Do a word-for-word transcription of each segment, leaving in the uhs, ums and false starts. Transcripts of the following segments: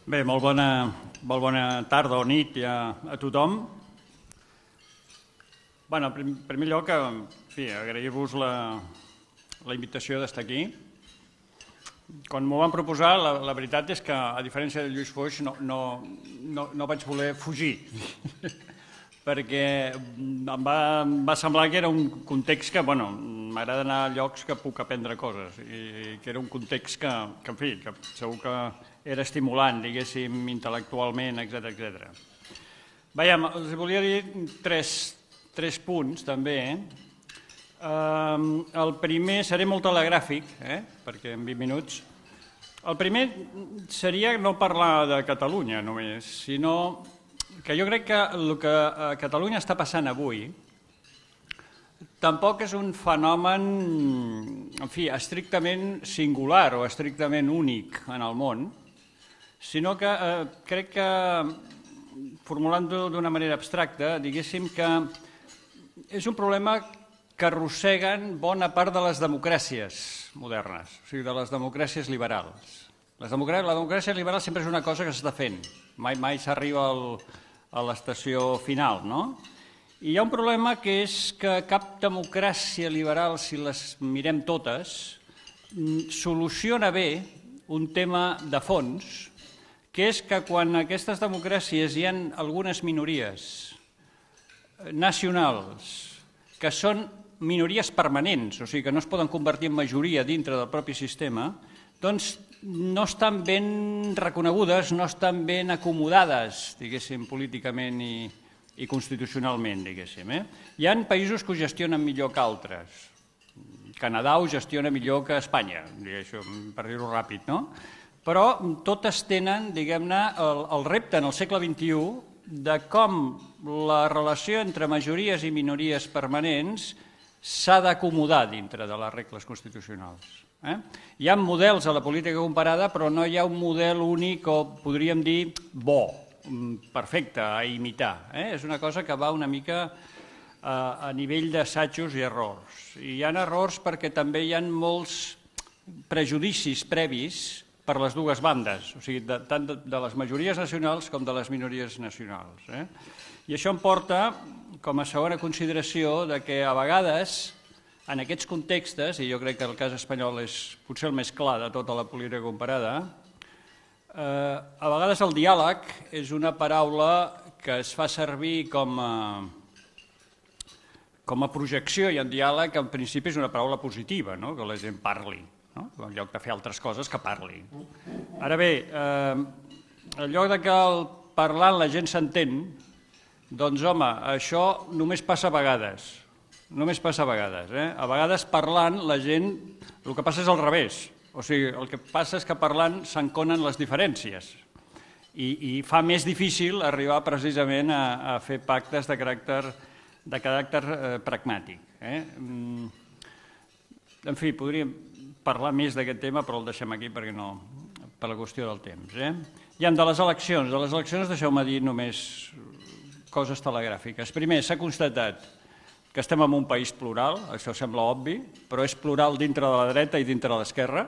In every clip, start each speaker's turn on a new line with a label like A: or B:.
A: Bé, molt bona, molt bona tarda o nit a, a tothom. Bé, en primer lloc, en fi, agrair-vos la, la invitació d'estar aquí. Quan m'ho van proposar, la, la veritat és que, a diferència de Lluís Foix, no, no, no, no vaig voler fugir, perquè em va, em va semblar que era un context que, bueno, m'agrada anar a llocs que puc aprendre coses, i que era un context que, que en fi, que segur que era estimulant, diguéssim, intel·lectualment, etcètera, etcètera. Veiem, els volia dir tres, tres punts, també. Uh, el primer, seré molt telegràfic, eh? perquè en vint minuts. El primer seria no parlar de Catalunya només, sinó que jo crec que el que a Catalunya està passant avui tampoc és un fenomen, en fi, estrictament singular o estrictament únic en el món, sinó que eh, crec que, formulant-ho d'una manera abstracta, diguéssim que és un problema que arrosseguen bona part de les democràcies modernes, o sigui, de les democràcies liberals. Les democràcies, la democràcia liberal sempre és una cosa que s'està fent, mai, mai s'arriba a l'estació final, no? I hi ha un problema que és que cap democràcia liberal, si les mirem totes, soluciona bé un tema de fons, que és que quan aquestes democràcies hi ha algunes minories nacionals que són minories permanents, o sigui que no es poden convertir en majoria dintre del propi sistema, doncs no estan ben reconegudes, no estan ben acomodades, diguéssim, políticament i, i constitucionalment, diguéssim. Eh? Hi ha països que ho gestionen millor que altres. Canadà ho gestiona millor que Espanya, per dir-ho ràpid, no? Però totes tenen, diguem-ne, el, el repte en el segle vint-i-u de com la relació entre majories i minories permanents s'ha d'acomodar dintre de les regles constitucionals. Eh? Hi ha models a la política comparada, però no hi ha un model únic o, podríem dir, bo, perfecte, a imitar. Eh? És una cosa que va una mica a, a nivell d'assajos i errors. I hi ha errors perquè també hi ha molts prejudicis previs per les dues bandes, o sigui, de, tant de, de les majories nacionals com de les minories nacionals. Eh? I això em porta, com a segona consideració, de que a vegades, en aquests contextes, i jo crec que el cas espanyol és potser el més clar de tota la política comparada, eh, a vegades el diàleg és una paraula que es fa servir com a, com a projecció, i en diàleg en principi és una paraula positiva, no? Que la gent parli. No? En lloc de fer altres coses que parli. Ara bé, eh, en lloc de que el parlant la gent s'entén, doncs home, això només passa a vegades, només passa a vegades. Eh? A vegades parlant la gent, el que passa és al revés, o sigui, el que passa és que parlant s'enconen les diferències i, i fa més difícil arribar precisament a, a fer pactes de caràcter, de caràcter eh, pragmàtic. Eh? En fi, podríem parlar més d'aquest tema, però el deixem aquí perquè no, per la qüestió del temps. Eh? I de les eleccions. De les eleccions deixeu-me dir només coses telegràfiques. Primer, s'ha constatat que estem en un país plural, això sembla obvi, però és plural dintre de la dreta i dintre de l'esquerra,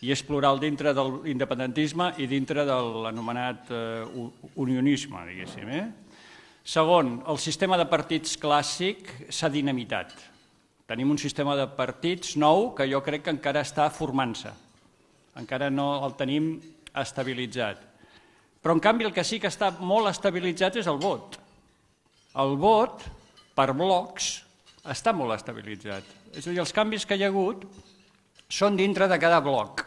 A: i és plural dintre de l'independentisme i dintre de l'anomenat eh, unionisme, diguéssim. Eh? Segon, el sistema de partits clàssic s'ha dinamitat. Tenim un sistema de partits nou que jo crec que encara està formant-se. Encara no el tenim estabilitzat. Però, en canvi, el que sí que està molt estabilitzat és el vot. El vot, per blocs, està molt estabilitzat. És a dir, els canvis que hi ha hagut són dintre de cada bloc,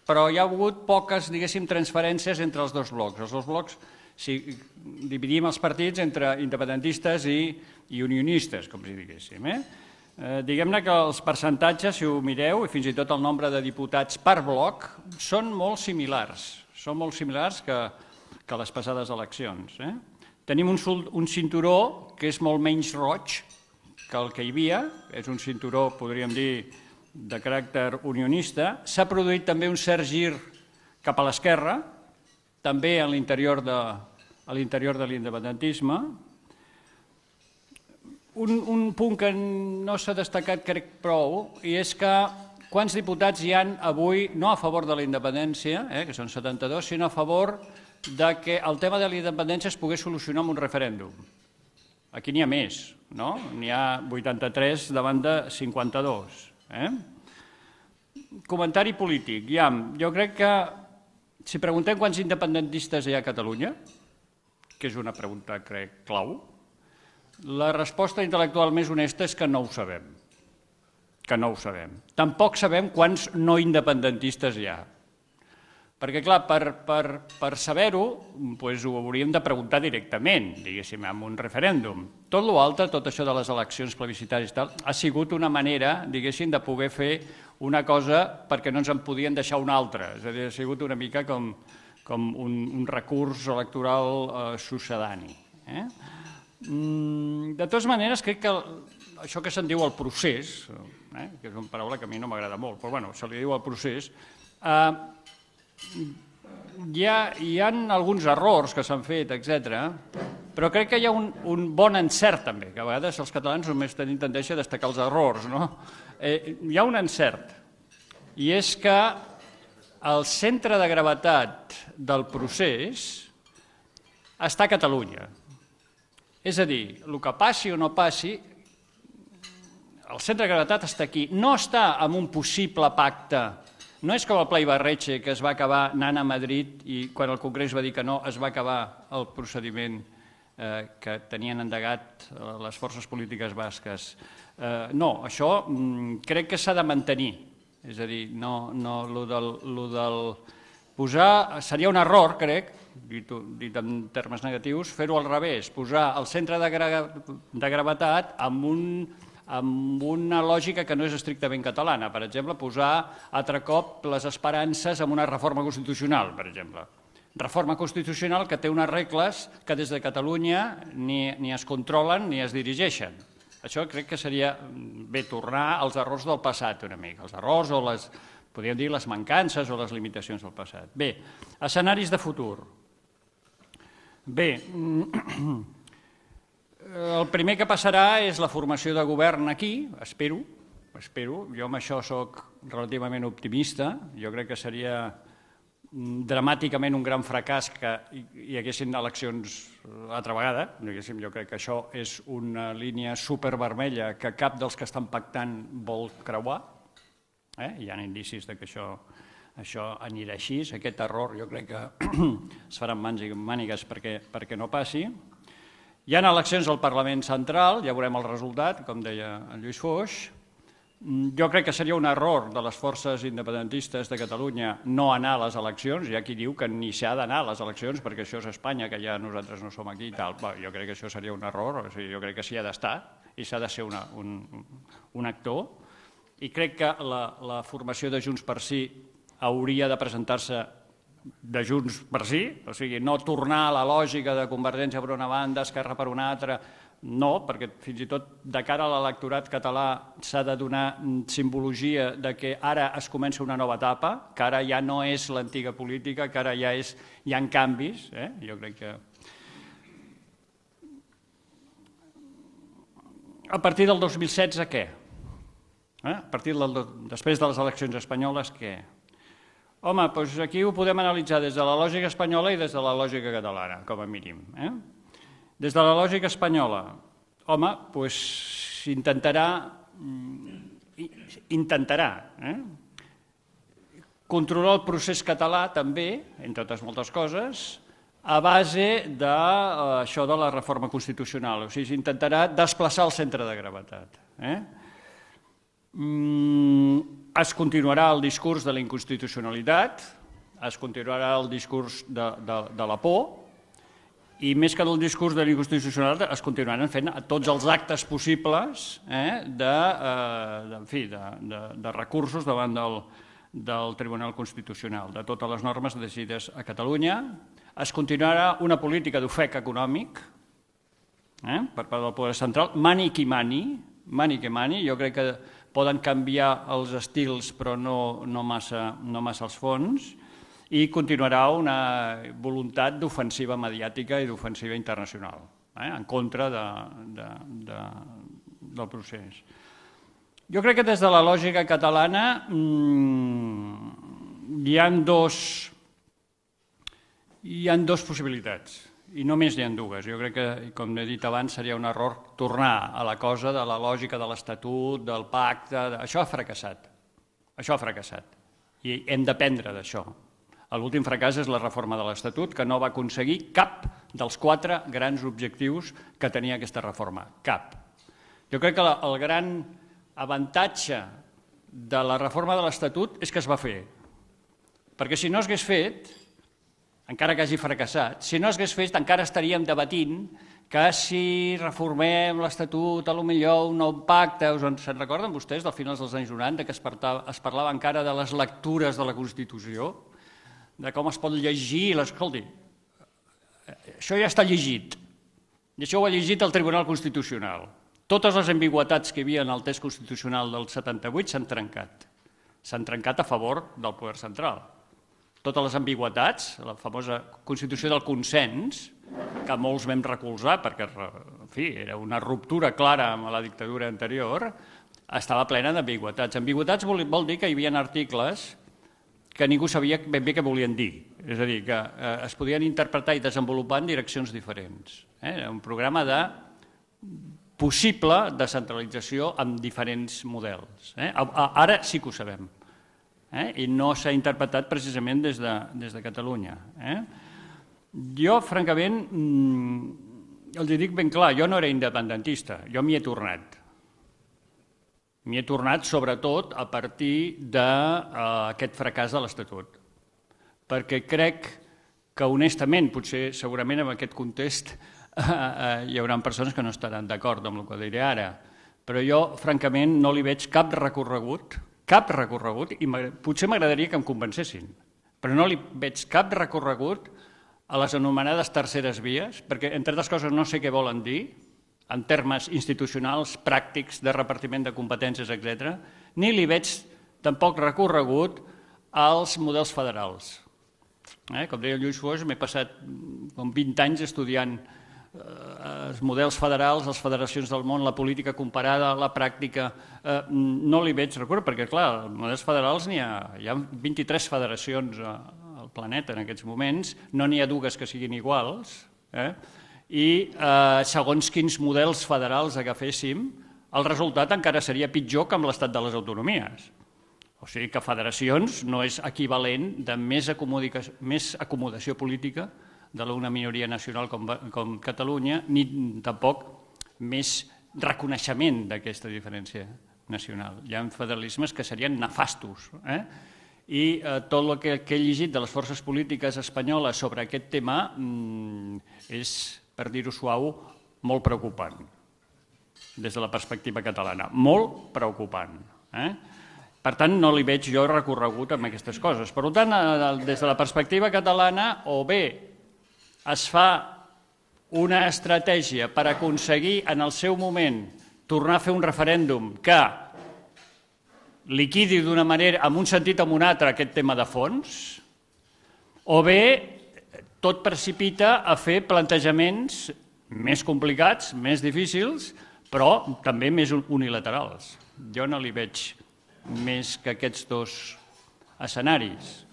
A: però hi ha hagut poques, diguéssim, transferències entre els dos blocs. Els dos blocs, si dividim els partits entre independentistes i, i unionistes, com si diguéssim, eh? Eh, diguem-ne que els percentatges, si ho mireu, i fins i tot el nombre de diputats per bloc, són molt similars, són molt similars que, que les passades eleccions. Eh? Tenim un, un cinturó que és molt menys roig que el que hi havia, és un cinturó, podríem dir, de caràcter unionista. S'ha produït també un cert gir cap a l'esquerra, també a l'interior de, a l'interior de l'independentisme. Un, un punt que no s'ha destacat, crec, prou, i és que quants diputats hi han avui, no a favor de la independència, eh, que són setanta-dos, sinó a favor que el tema de la independència es pogués solucionar amb un referèndum. Aquí n'hi ha més, no? N'hi ha vuitanta-tres davant de cinquanta-dos. Comentari polític. Jo crec que si preguntem quants independentistes hi ha a Catalunya, que és una pregunta, crec, clau, la resposta intel·lectual més honesta és que no ho sabem. Que no ho sabem. Tampoc sabem quants no independentistes hi ha. Perquè, clar, per saber-ho, ho hauríem de preguntar directament, diguéssim, amb un referèndum. Tot l'altre, tot això de les eleccions plebiscitàries i tal, ha sigut una manera, diguéssim, de poder fer una cosa perquè no ens en podien deixar una altra. És a dir, ha sigut una mica com un recurs electoral succedani. De totes maneres, crec que això que se'n diu el procés, que és una paraula que a mi no m'agrada molt, però bueno, se li diu el procés, hi ha alguns errors que s'han fet, etcètera, però crec que hi ha un bon encert també, que a vegades els catalans només tenim tendència a destacar els errors, no? Hi ha un encert, i és que el centre de gravetat del procés està a Catalunya. És a dir, el que passi o no passi, el centre de gravetat està aquí. No està en un possible pacte. No és com el Pla Ibarretxe, que es va acabar anant a Madrid i quan el Congrés va dir que no, es va acabar el procediment que tenien endegat les forces polítiques basques. No, això crec que s'ha de mantenir. És a dir, el del posar... Seria un error, crec, dit en termes negatius, fer-ho al revés, posar el centre de gravetat amb un... amb una lògica que no és estrictament catalana. Per exemple, posar altre cop les esperances en una reforma constitucional, per exemple. Reforma constitucional que té unes regles que des de Catalunya ni es controlen ni es dirigeixen. Això crec que seria bé tornar als errors del passat una mica, els errors o les, podríem dir, les mancances o les limitacions del passat. Bé, escenaris de futur. Bé, el primer que passarà és la formació de govern aquí, espero, espero. Jo amb això soc relativament optimista. Jo crec que seria dramàticament un gran fracàs que hi haguessin eleccions altra vegada. Jo crec que això és una línia supervermella que cap dels que estan pactant vol creuar. Hi ha indicis que això anirà així. Aquest error jo crec que es faran mans i mànigues perquè no passi. Hi ha eleccions al Parlament Central, ja veurem el resultat, com deia en Lluís Foix. Jo crec que seria un error de les forces independentistes de Catalunya no anar a les eleccions. Hi ha qui diu que ni s'ha d'anar a les eleccions perquè això és Espanya, que ja nosaltres no som aquí i tal. Jo crec que això seria un error, jo crec que s'hi ha d'estar i s'ha de ser un actor. I crec que la formació de Junts per Sí hauria de presentar-se de Junts per Sí, o sigui, no tornar a la lògica de Convergència per una banda, Esquerra per una altra, no, perquè fins i tot de cara a l'electorat català s'ha de donar simbologia de que ara es comença una nova etapa, que ara ja no és l'antiga política, que ara ja hi ha canvis. Jo crec que... A partir del dos mil setze, què? A partir després de les eleccions espanyoles, què? Home, doncs aquí ho podem analitzar des de la lògica espanyola i des de la lògica catalana, com a mínim. Des de la lògica espanyola, home, doncs intentarà intentarà controlar el procés català també, entre altres moltes coses, a base d'això de la reforma constitucional. O sigui, s'intentarà desplaçar el centre de gravetat. Es continuarà el discurs de la inconstitucionalitat, es continuarà el discurs de la por i més que del discurs de la inconstitucionalitat es continuaran fent tots els actes possibles de recursos davant del Tribunal Constitucional, de totes les normes decidides a Catalunya. Es continuarà una política d'ofec econòmic per part del poder central, mani qui mani, mani qui mani, jo crec que poden canviar els estils però no massa els fons, i continuarà una voluntat d'ofensiva mediàtica i d'ofensiva internacional en contra del procés. Jo crec que des de la lògica catalana hi ha dos Hi ha dues possibilitats, i només n'hi ha dues. Jo crec que, com he dit abans, seria un error tornar a la cosa de la lògica de l'Estatut, del pacte... Això ha fracassat. Això ha fracassat. I hem d'aprendre d'això. L'últim fracàs és la reforma de l'Estatut, que no va aconseguir cap dels quatre grans objectius que tenia aquesta reforma. Cap. Jo crec que el gran avantatge de la reforma de l'Estatut és que es va fer. Perquè si no s'hagués fet, encara que hagi fracassat, si no s'hagués fet encara estaríem debatint que si reformem l'Estatut, a lo millor un nou pacte, se'n recorden vostès del finals dels anys noranta que es parlava encara de les lectures de la Constitució, de com es pot llegir, escolti, això ja està llegit, i això ho ha llegit el Tribunal Constitucional. Totes les ambigüitats que hi havia en el text constitucional del setanta-vuit s'han trencat, s'han trencat a favor del poder central. Totes les ambigüitats, la famosa Constitució del consens, que molts vam recolzar perquè, en fi, era una ruptura clara amb la dictadura anterior, estava plena d'ambigüitats. Ambigüitats vol, vol dir que hi havia articles que ningú sabia ben bé què volien dir. És a dir, que eh, es podien interpretar i desenvolupar en direccions diferents. Eh? Era un programa de possible descentralització amb diferents models. Eh? Ara sí que ho sabem. Eh? I no s'ha interpretat precisament des de, des de Catalunya. Eh? Jo, francament, els dic ben clar, jo no era independentista, jo m'hi he tornat. M'hi he tornat sobretot a partir d'aquest fracàs de l'Estatut. Perquè crec que honestament, potser segurament en aquest context hi haurà persones que no estaran d'acord amb el que diré ara, però jo francament no li veig cap recorregut cap recorregut, i potser m'agradaria que em convencessin, però no li veig cap recorregut a les anomenades terceres vies, perquè, entre altres coses, no sé què volen dir, en termes institucionals, pràctics, de repartiment de competències, etcètera, ni li veig tampoc recorregut als models federals. Eh? Com deia Lluís Foix, m'he passat com vint anys estudiant els models federals, les federacions del món, la política comparada, la pràctica, eh, no li veig recorregut, perquè, clar, els models federals n'hi ha, hi ha vint-i-tres federacions al planeta en aquests moments, no n'hi ha dues que siguin iguals, eh? I eh, segons quins models federals agaféssim, el resultat encara seria pitjor que amb l'estat de les autonomies. O sigui que federacions no és equivalent de més acomodació, més acomodació política de una minoria nacional com, com Catalunya, ni tampoc més reconeixement d'aquesta diferència nacional. Hi ha federalismes que serien nefastos. Eh? I eh, tot el que, que he llegit de les forces polítiques espanyoles sobre aquest tema mm, és, per dir-ho suau, molt preocupant, des de la perspectiva catalana. Molt preocupant. Eh? Per tant, no li veig jo recorregut amb aquestes coses. Per tant, des de la perspectiva catalana, o bé es fa una estratègia per aconseguir en el seu moment tornar a fer un referèndum que liquidi d'una manera, en un sentit o en un altre, aquest tema de fons, o bé tot precipita a fer plantejaments més complicats, més difícils, però també més unilaterals. Jo no li veig més que aquests dos escenaris.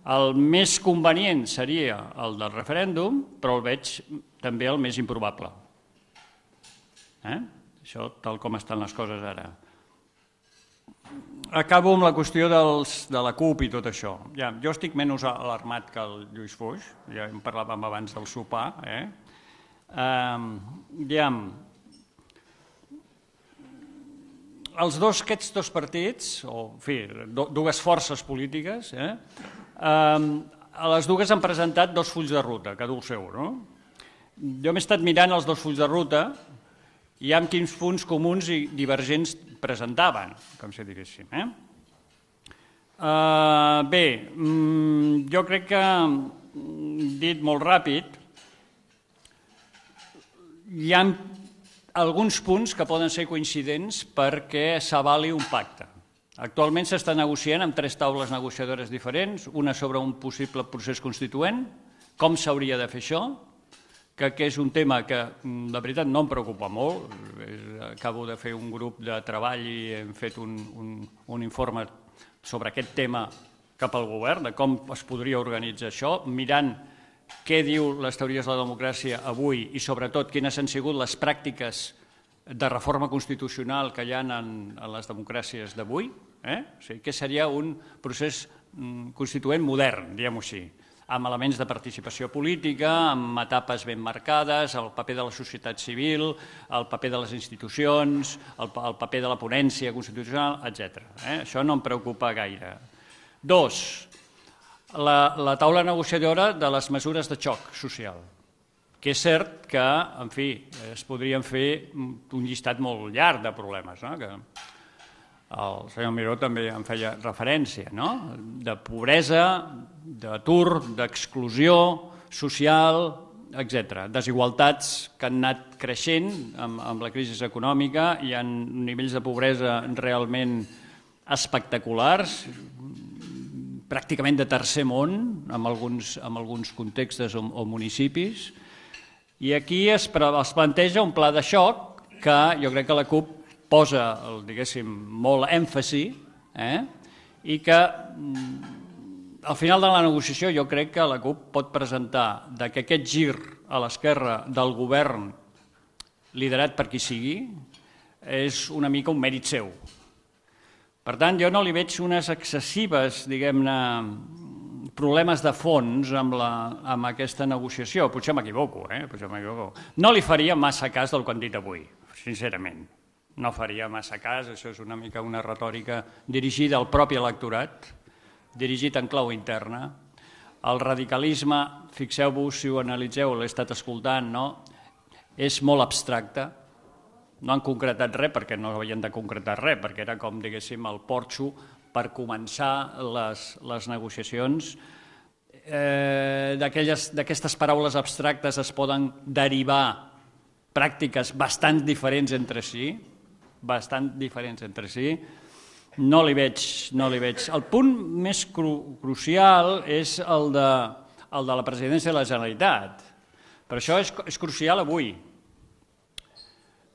A: El més convenient seria el del referèndum, però el veig també el més improbable. Eh? Això tal com estan les coses ara. Acabo amb la qüestió dels, de la CUP i tot això. Ja, jo estic menys alarmat que el Lluís Foix, ja en parlàvem abans del sopar. Eh? Eh, ja, els dos, aquests dos partits, o en fi, dues forces polítiques, eh, a les dues han presentat dos fulls de ruta, cada un seu. No? Jo m'he estat mirant els dos fulls de ruta i amb quins punts comuns i divergents presentaven, com si diguéssim. Eh? Uh, bé, jo crec que, dit molt ràpid, hi ha alguns punts que poden ser coincidents perquè s'avali un pacte. Actualment s'està negociant amb tres taules negociadores diferents, una sobre un possible procés constituent, com s'hauria de fer això, que és un tema que, de veritat, no em preocupa molt. Acabo de fer un grup de treball i hem fet un, un, un informe sobre aquest tema cap al govern, de com es podria organitzar això, mirant què diu les teories de la democràcia avui i sobretot quines han sigut les pràctiques de reforma constitucional que hi ha en les democràcies d'avui, o sigui, què seria un procés constituent modern, diguem-ho així, amb elements de participació política, amb etapes ben marcades, el paper de la societat civil, el paper de les institucions, el paper de la ponència constitucional, etcètera. Això no em preocupa gaire. Dos, la taula negociadora de les mesures de xoc social, que és cert que, en fi, es podrien fer un llistat molt llarg de problemes, que el senyor Miró també en feia referència, de pobresa, d'atur, d'exclusió social, etcètera. Desigualtats que han anat creixent amb la crisi econòmica, hi ha nivells de pobresa realment espectaculars, pràcticament de tercer món, en alguns contextes o municipis, i aquí es planteja un pla de xoc que jo crec que la CUP posa, diguéssim, molt èmfasi i que al final de la negociació jo crec que la CUP pot presentar que aquest gir a l'esquerra del govern liderat per qui sigui és una mica un mèrit seu. Per tant, jo no li veig unes excessives, diguem-ne, problemes de fons amb aquesta negociació. Potser m'equivoco, eh? Potser m'equivoco. No li faria massa cas del que han dit avui, sincerament. No faria massa cas, això és una mica una retòrica dirigida al propi electorat, dirigit en clau interna. El radicalisme, fixeu-vos, si ho analitzeu, l'he estat escoltant, és molt abstracte. No han concretat res perquè no havien de concretar res, perquè era com, diguéssim, el porxo per començar les negociacions. D'aquestes paraules abstractes es poden derivar pràctiques bastant diferents entre si, bastant diferents entre si. No li veig, no li veig. El punt més crucial és el de la presidència de la Generalitat. Per això és crucial avui.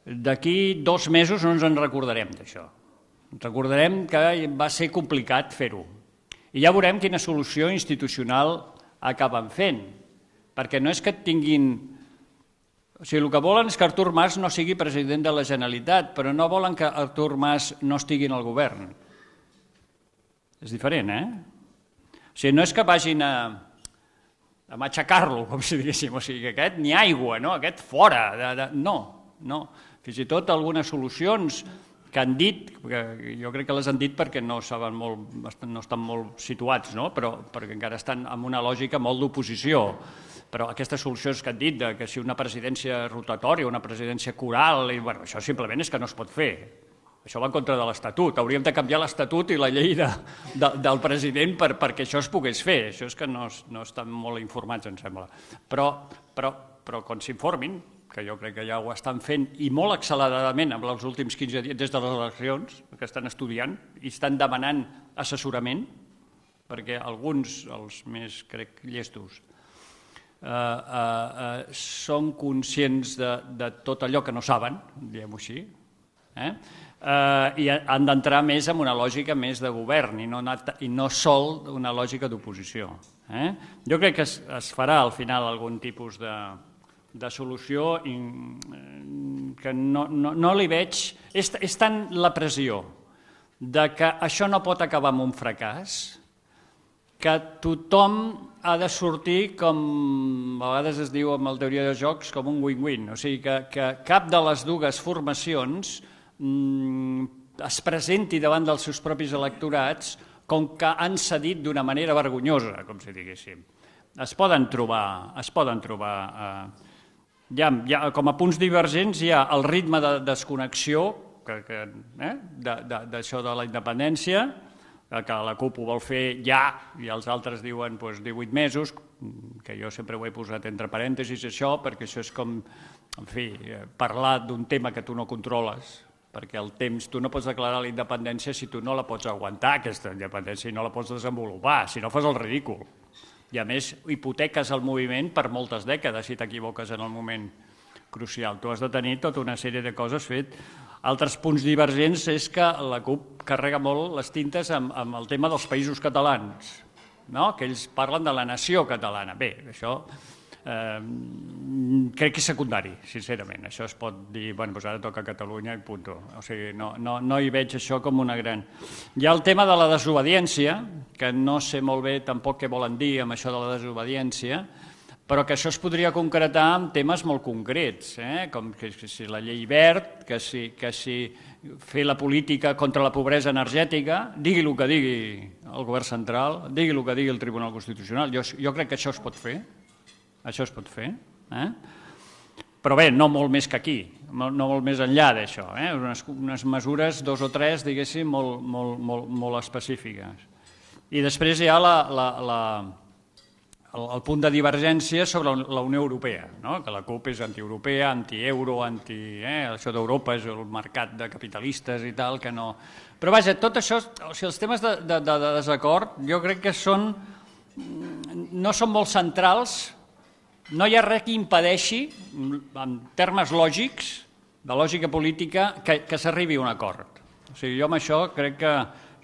A: D'aquí dos mesos no ens en recordarem d'això. Recordarem que va ser complicat fer-ho. I ja veurem quina solució institucional acaben fent. Perquè no és que tinguin... O sigui, el que volen és que Artur Mas no sigui president de la Generalitat, però no volen que Artur Mas no estigui en el govern. És diferent, eh? O sigui, no és que vagin a matxacar-lo, com si diguéssim. O sigui, que aquest ni aigua, no? Aquest fora. No, no. Fins i tot algunes solucions que han dit, jo crec que les han dit perquè no estan molt situats, però perquè encara estan en una lògica molt d'oposició. Però aquestes solucions que han dit, que si una presidència rotatòria, una presidència coral, això simplement és que no es pot fer. Això va en contra de l'Estatut. Hauríem de canviar l'Estatut i la llei del president perquè això es pogués fer. Això és que no estan molt informats, em sembla. Però quan s'informin, que jo crec que ja ho estan fent, i molt acceleradament en els últims quinze dies, des de les eleccions, que estan estudiant i estan demanant assessorament, perquè alguns, els més, crec, llestos, són conscients de tot allò que no saben, diguem-ho així, i han d'entrar més en una lògica més de govern i no sol una lògica d'oposició. Jo crec que es farà al final algun tipus de de solució que no li veig... És tant la pressió que això no pot acabar amb un fracàs que tothom ha de sortir, com a vegades es diu en la teoria de jocs, com un win-win. O sigui, que cap de les dues formacions es presenti davant dels seus propis electorats com que han cedit d'una manera vergonyosa, com si diguéssim. Es poden trobar... Es poden trobar... Com a punts divergents hi ha el ritme de desconnexió d'això de la independència, que la CUP ho vol fer ja i els altres diuen divuit mesos, que jo sempre ho he posat entre parèntesis això, perquè això és com, en fi, parlar d'un tema que tu no controles, perquè el temps, tu no pots declarar la independència si tu no la pots aguantar, aquesta independència, i no la pots desenvolupar, si no fas el ridícul. I a més, hipoteques el moviment per moltes dècades si t'equivoques en el moment crucial. Tu has de tenir tota una sèrie de coses fet. Altres punts divergents és que la CUP carrega molt les tintes amb el tema dels països catalans. que ells parlen de la nació catalana. Bé, això crec que és secundari, sincerament. Això es pot dir, bueno, doncs ara toca Catalunya i punt. O sigui, no hi veig això com una gran... Hi ha el tema de la desobediència, que no sé molt bé tampoc què volen dir amb això de la desobediència, però que això es podria concretar en temes molt concrets, com que si la llei verd, que si fer la política contra la pobresa energètica, digui el que digui el govern central, digui el que digui el Tribunal Constitucional, jo crec que això es pot fer, això es pot fer, però bé, no molt més que aquí, no molt més enllà d'això, unes mesures, dos o tres, diguéssim, molt específiques. I després hi ha el punt de divergència sobre la Unió Europea, que la CUP és antieuropea, antieuro, això d'Europa és el mercat de capitalistes i tal, que no... Però vaja, tot això, o sigui, els temes de desacord, jo crec que són, no són molt centrals. No hi ha res que impedeixi, en termes lògics, de lògica política, que s'arribi a un acord. O sigui, jo amb això crec que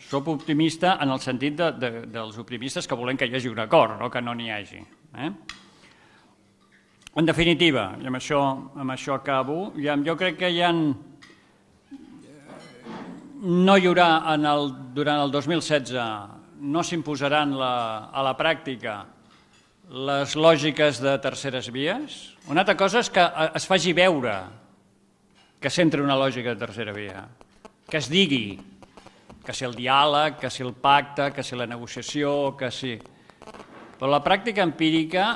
A: soc optimista en el sentit dels optimistes que volem que hi hagi un acord, no que no n'hi hagi. En definitiva, i amb això acabo, jo crec que hi ha... No hi haurà, durant el dos mil setze, no s'imposaran a la pràctica les lògiques de terceres vies. Una altra cosa és que es faci veure que s'entra una lògica de tercera via, que es digui que si el diàleg, que si el pacte, que si la negociació, que si... Però la pràctica empírica,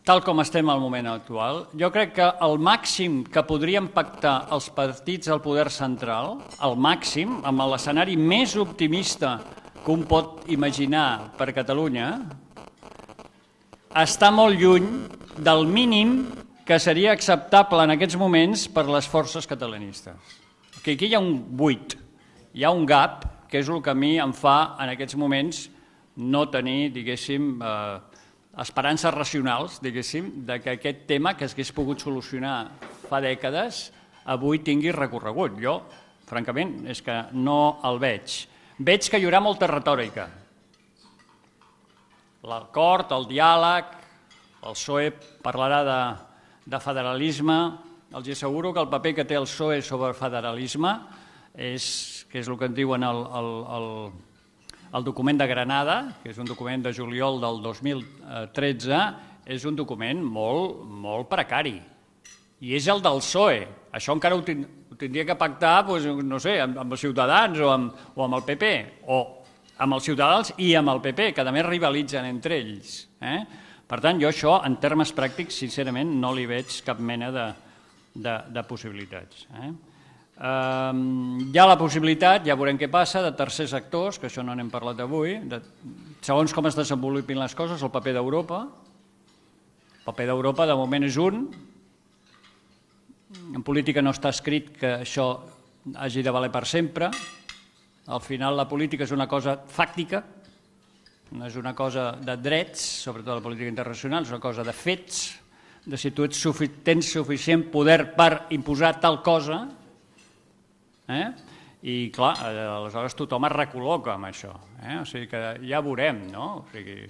A: tal com estem al moment actual, jo crec que el màxim que podrien pactar els partits del poder central, el màxim, amb l'escenari més optimista que un pot imaginar per Catalunya, està molt lluny del mínim que seria acceptable en aquests moments per les forces catalanistes. Aquí hi ha un buit, hi ha un gap, que és el que a mi em fa en aquests moments no tenir, diguéssim, esperances racionals, diguéssim, que aquest tema que s'hagués pogut solucionar fa dècades avui tingui recorregut. Jo, francament, és que no el veig. Veig que hi haurà molta retòrica. L'acord, el diàleg, el P S O E parlarà de federalisme. Els asseguro que el paper que té el P S O E sobre el federalisme, que és el que en diuen el document de Granada, que és un document de juliol del dos mil tretze, és un document molt precari. I és el del P S O E. Això encara ho tindria que pactar, no sé, amb els Ciutadans o amb el P P, o amb els Ciutadans i amb el P P, que a més rivalitzen entre ells. Per tant, jo això, en termes pràctics, sincerament, no li veig cap mena de possibilitats. Hi ha la possibilitat, ja veurem què passa, de tercers actors, que això no n'hem parlat avui, segons com es desenvolupin les coses, el paper d'Europa. El paper d'Europa, de moment, és un. En política no està escrit que això hagi de valer per sempre. Al final la política és una cosa fàctica, no és una cosa de drets, sobretot la política internacional, és una cosa de fets, de si tu tens suficient poder per imposar tal cosa, i clar, aleshores tothom es recol·loca amb això. O sigui que ja veurem, no? O sigui,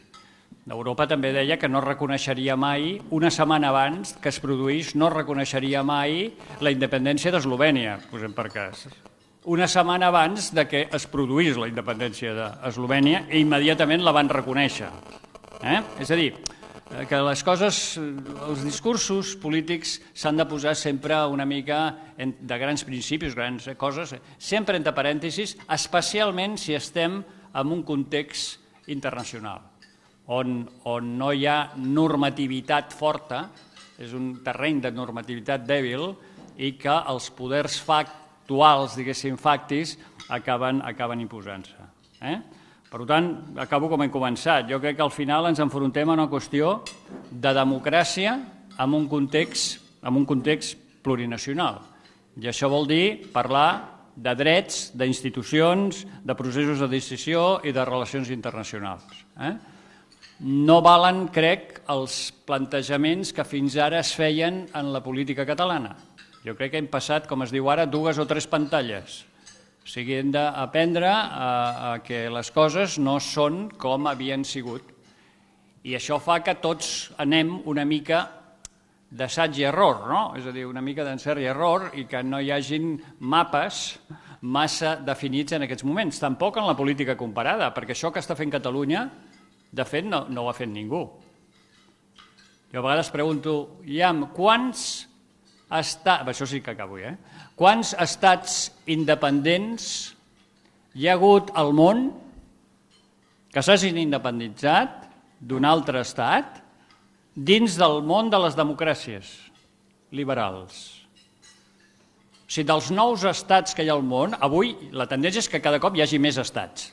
A: Europa també deia que no reconeixeria mai, una setmana abans que es produís, no reconeixeria mai la independència d'Eslovènia, posem per cas. Una setmana abans que es produís la independència d'Eslovènia i immediatament la van reconèixer. És a dir, que les coses, els discursos polítics s'han de posar sempre una mica de grans principis, grans coses, sempre entre parèntesis, especialment si estem en un context internacional, on no hi ha normativitat forta, és un terreny de normativitat dèbil i que els poders facts actuals, diguéssim, factis, acaben imposant-se. Per tant, acabo com hem començat. Jo crec que al final ens enfrontem a una qüestió de democràcia en un context plurinacional. I això vol dir parlar de drets, d'institucions, de processos de decisió i de relacions internacionals. No valen, crec, els plantejaments que fins ara es feien en la política catalana. Jo crec que hem passat, com es diu ara, dues o tres pantalles. O sigui, hem d'aprendre a que les coses no són com havien sigut. I això fa que tots anem una mica d'assaig i error, no? És a dir, una mica d'encert i error i que no hi hagin mapes massa definits en aquests moments. Tampoc en la política comparada, perquè això que està fent Catalunya, de fet, no, no ho ha fet ningú. Jo a vegades pregunto, Iam, quants estats, això sí que acabo, eh? Quants estats independents hi ha hagut al món que s'hagin independitzat d'un altre estat dins del món de les democràcies liberals? O sigui, dels nous estats que hi ha al món, avui la tendència és que cada cop hi hagi més estats.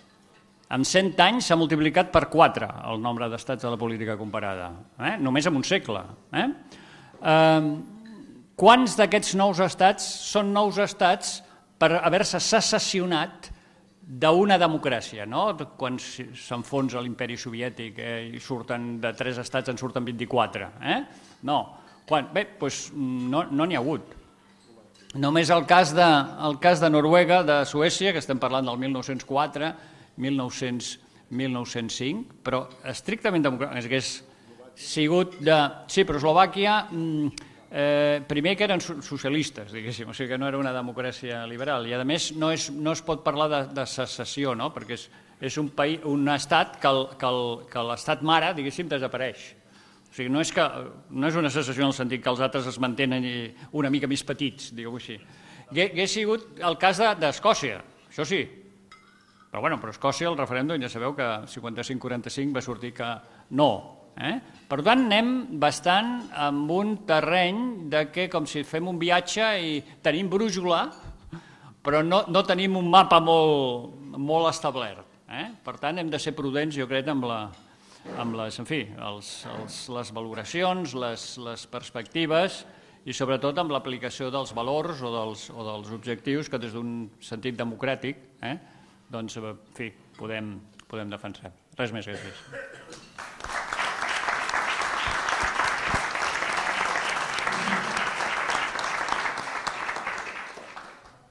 A: En cent anys s'ha multiplicat per quatre el nombre d'estats de la política comparada, eh? Només en un segle. Eh? Eh, quants d'aquests nous estats són nous estats per haver-se secessionat d'una democràcia, no? Quan s'enfonsa l'imperi soviètic eh, i surten de tres estats en surten vint-i-quatre. Eh? No, Quan? Bé, doncs no n'hi ha hagut. Només el cas, de, el cas de Noruega, de Suècia, que estem parlant del mil nou-cents quatre, mil nou-cents, mil nou-cents cinc, però estrictament democràtic, hagués sigut de... Sí, però Eslovàquia, eh, primer que eren socialistes, diguéssim, o sigui que no era una democràcia liberal, i a més no, és, no es pot parlar de, de secessió, no? Perquè és, és un, país, un estat que, el, que, el, que l'estat mare, diguéssim, desapareix. O sigui, no és, que, no és una secessió en el sentit que els altres es mantenen una mica més petits, diguem-ho així. Hauria sigut el cas d'Escòcia, això sí. Però, bueno, però Escòcia, el referèndum, ja sabeu que cinquanta-cinc quaranta-cinc va sortir que no. Eh? Per tant, anem bastant amb un terreny de que com si fem un viatge i tenim brújula, però no, no tenim un mapa molt, molt establert. Eh? Per tant, hem de ser prudents, jo crec, amb, la, amb les, en fi, els, els, les valoracions, les, les perspectives i sobretot amb l'aplicació dels valors o dels, o dels objectius que des d'un sentit democràtic eh, doncs, en fi, podem, podem defensar. Res més, gràcies.